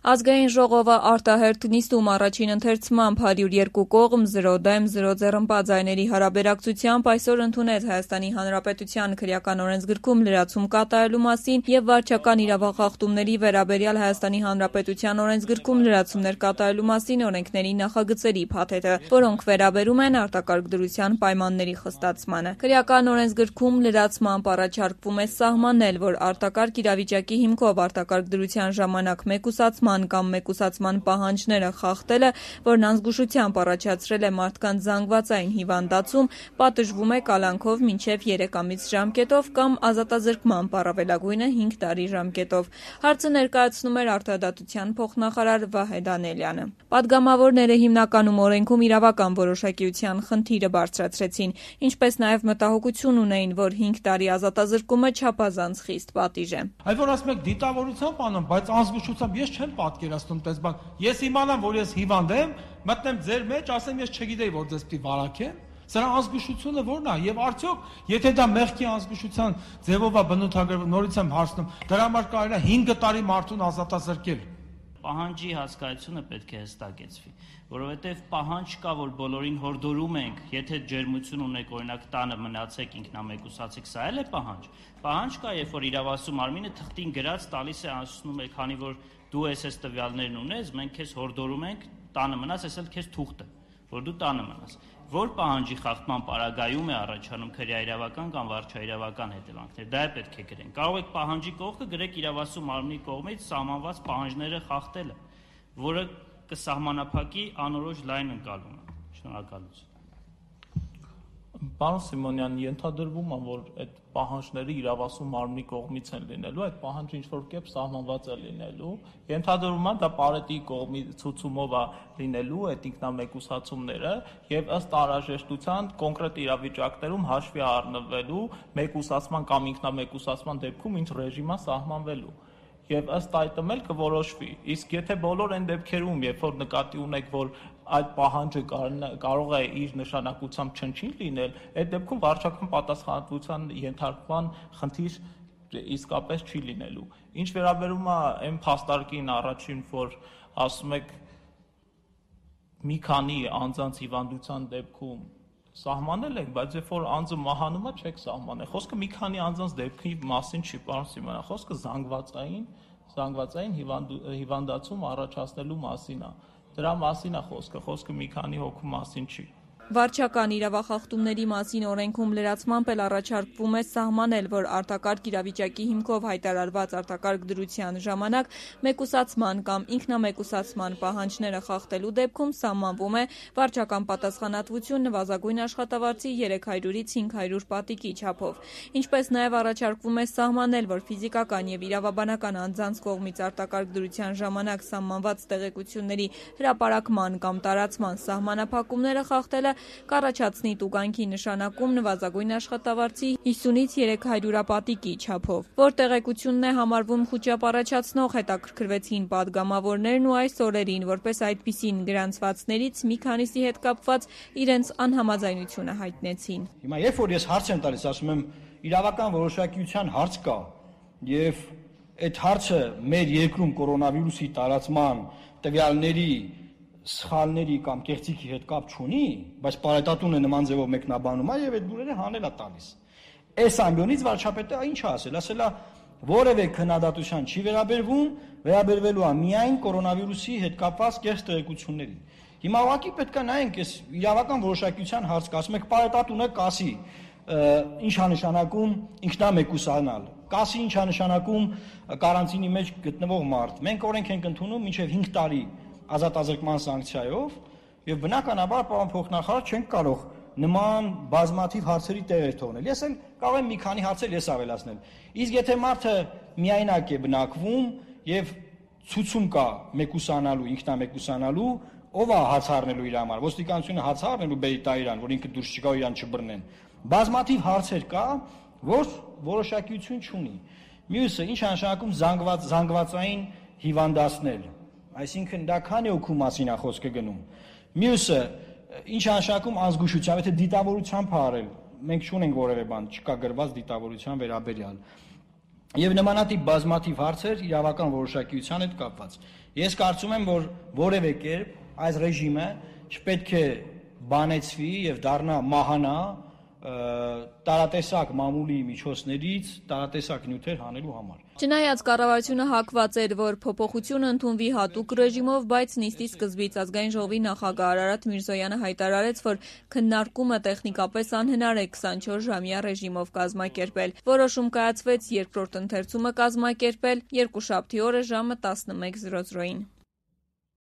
Ազգային ժողովը արտահերթ նիստում առաջին ընթերցմամբ 102 կողմ 0 դեմ 0 ձեռնպատ ձայների հարաբերակցությամբ այսօր ընդունեց Հայաստանի Հանրապետության քրեական օրենսգրքում լրացում կատարելու մասին եւ վարչական իրավախախտումների վերաբերյալ Հայաստանի Հանրապետության օրենսգրքում լրացումներ կատարելու մասին օրենքների նախագծերի փաթեթը, որոնք վերաբերում են արտակարգ դրության պայմանների խստացմանը։ Քրեական օրենսգրքում լրացմամբ առաջարկվում է սահմանել, որ արտակարգ իրավիճակի հիմքով արտակարգ դրության ժամանակ մեկուսացման կամ մեկուսացման պահանջները խախտելը, որն անզգուշությամբ առաջացրել է մարդկանց զանգվածային հիվանդացում, պատժվում է կալանքով մինչև 3 ամիս ժամկետով կամ ազատազրկման առավելագույնը 5 տարի ժամկետով։ Հարցը ներկայացնում էր Արտադատության փոխնախարար Վահե Դանիելյանը։ Պատգամավորները հիմնականում օրենքում իրավական որոշակիության խնդիրը բարձրացրեցին, ինչպես նաև մտահոգություն ունեին, որ 5 տարի ազատազրկումը չափազանց խիստ պատիժ է։ Այլ որ ասում եք դիտավորությամբ անեմ, բայց անզգուշությամբ ես չեմ պատկերացնում տես բան։ Ես իմանամ, որ ես հիվանդ եմ, մտնեմ ձեր մեջ, ասեմ ես չգիտեի, որ ձեզ պիտի վարակեմ։ Սրա անզգուշությունը ո՞րն է, եւ արդյոք, եթե դա մեղքի անզգուշության ձևով է բնութագրվում, նորից եմ հարցնում, դրա համար կարելի է 5 տարի մարդուն ազատազրկել։ Պահանջի հասկացությունը պետք է հստակեցվի, որովհետև պահանջ կա, որ բոլորին հորդորում ենք, եթե ջերմություն ունեք, օրինակ տանը մնացեք, ինքնամեկուսացեք, սա էլ է պահանջ։ Պահանջ կա, երբ որ իրավասու մարմինը թղթին գրած տալիս է, ասում է, քանի որ դու այս տվյալներն ունես, մենք քեզ հորդորում ենք տանը մնաս, այս էլ քեզ թուղթ է, որ դու տանը մնաս։ Որ պահանջի խախտման պարագայում է առաջանում քրեաիրավական կամ վարչաիրավական հետևանքներ, դա է պետք է գրենք։ Կարող եք պահանջի կողքը գրեք իրավասու մարմնի կողմից սահմանված պահանջները խախտելը, որը կսահմանափակի անորոշ լայն ընկալումը։ Շնորհակալություն։ Պարոն Սիմոնյան, ենթադրվում է, որ այդ պահանջները իրավասու մարմնի կողմից են լինելու, այդ պահանջը ինչ-որ կերպ սահմանված է լինելու, ենթադրվում է դա Պարետի կողմի ցուցումով է լինելու այդ ինքնամեկուսացումները եւ ըստ անհրաժեշտության կոնկրետ իրավիճակներում հաշվի առնվելու մեկուսացման կամ ինքնամեկուսացման դեպքում ինչ ռեժիմը սահմանվելու։ Եվ ըստ այդմ էլ կորոշվի։ Իսկ եթե բոլոր այն դեպքերում, երբ որ նկատի ունեք, որ այդ պահանջը կարող է իր նշանակությամբ չնչին լինել, այդ դեպքում վարչական պատասխանատվության ենթարկման խնդիր իսկապես չի լինելու։ Ինչ վերաբերում է այն փաստարկին առաջին, որ ասում եք մի քանի անձանց հիվանդության դեպքում սահմանել ենք, բայց երբ որ անձը մահանում է, չեք սահմանել։ Խոսքը մի քանի անձանց դեպքի մասին չի, պարոն Սիմոնյան, խոսքը զանգվածային հիվանդացում առաջացնելու մասին է։ Դրա մասին է խոսքը մի քանի հոգու մասին չի։ Վարչական իրավախախտումների մասին օրենքում լրացմամբ էլ առաջարկվում է սահմանել, որ արտակարգ իրավիճակի հիմքով հայտարարված արտակարգ դրության ժամանակ մեկուսացման կամ ինքնամեկուսացման պահանջները խախտելու դեպքում սահմանվում է վարչական պատասխանատվություն նվազագույն աշխատավարձի 300-ից 500 պատիկի չափով։ Ինչպես նաև առաջարկվում է սահմանել, որ ֆիզիկական եւ իրավաբանական անձանց կողմից արտակարգ դրության ժամանակ սահմանված տեղեկությունների հրապարակման կամ տարածման սահմանափակումները խախտելը կառաջացնի տուգանքի նշանակում նվազագույն աշխատավարձի 50-ից 300 պատիկի չափով։ Որ տեղեկությունն է համարվում խուճապ առաջացնող, հետաքրքրվեցին պատգամավորներն ու այս օրերին, որպես այդպիսին գրանցվածներից մի քանիսի հետ կապված իրենց անհամաձայնությունը հայտնեցին։ Հիմա երբ որ ես հարց եմ տալիս, ասում եմ իրավական որոշակիության հարց կա եւ այդ հարցը մեր երկրում կորոնավիրուսի տարածման տվյալների սխալների կամ կեղծիքի հետ կապ չունի, բայց պարետատունը նման ձևով մեկնաբանում է եւ այդ դուրերը հանել է տալիս։ Այս ամբիոնից վարչապետը ինչ ասել, ասել է որևէ քննադատության չի վերաբերվելու է միայն կորոնավիրուսի հետ կապված կեղծ տեղեկությունների։ Հիմա ուղղակի պետք է նայենք այս իրավական որոշակիության հարց կա, ասում եք պարետատունը կասի ինչ է նշանակում ինքնամեկուսանալ, կասի ինչ է նշանակում կարանտինի մեջ գտնվող մարդ։ Մենք օրենք ենք ընդունում մինչև 5 տարի ազատազրկման սանկցիայով եւ բնականաբար պարոն փոխնախարար չենք կարող նման բազմաթիվ հարցերի տեղեր թողնել։ Ես էլ կարող եմ մի քանի հարցեր ես ավելացնել։ Իսկ եթե մարդը միայնակ է բնակվում եւ ցուցում կա մեկուսանալու, ինքնամեկուսանալու, ով է հաց առնելու իր համար։ Ոստիկանությունը հաց առնելու բերի տա իրան, որ ինքը դուրս չգա իրան չբռնեն։ Բազմաթիվ հարցեր կա, որ որոշակիություն չունի։ Մյուսը ինչ նշանակում զանգվածային հիվանդացնել։ Այսինքն դա քանի օգու մասին է խոսքը գնում։ Մյուսը ինչ նշանակում անզգուշությամբ, եթե դիտավորությամբ հարել, մենք չունենք որևէ բան, չկա գրված դիտավորության վերաբերյալ։ եւ նմանատիպ բազմաթիվ հարցեր իրավական որոշակիության հետ կապված։ Ես կարծում եմ, որ որևէ կերպ այս ռեժիմը չպետք է բանեցվի եւ դառնա մահանա տարատեսակ մամուլի միջոցներից տարատեսակ նյութեր հանելու համար։ Չնայած կառավարությունը հակված էր, որ փոփոխություն ընդունվի հատուկ ռեժիմով, բայց նիստի սկզբից Ազգային ժողովի նախագահ Արարատ Միրզոյանը հայտարարեց, որ քննարկումը տեխնիկապես անհնար է 24-ժամյա ռեժիմով կազմակերպել։ Որոշում կայացվեց երկրորդ ընթերցումը կազմակերպել երկուշաբթի օրը ժամը 11:00-ին։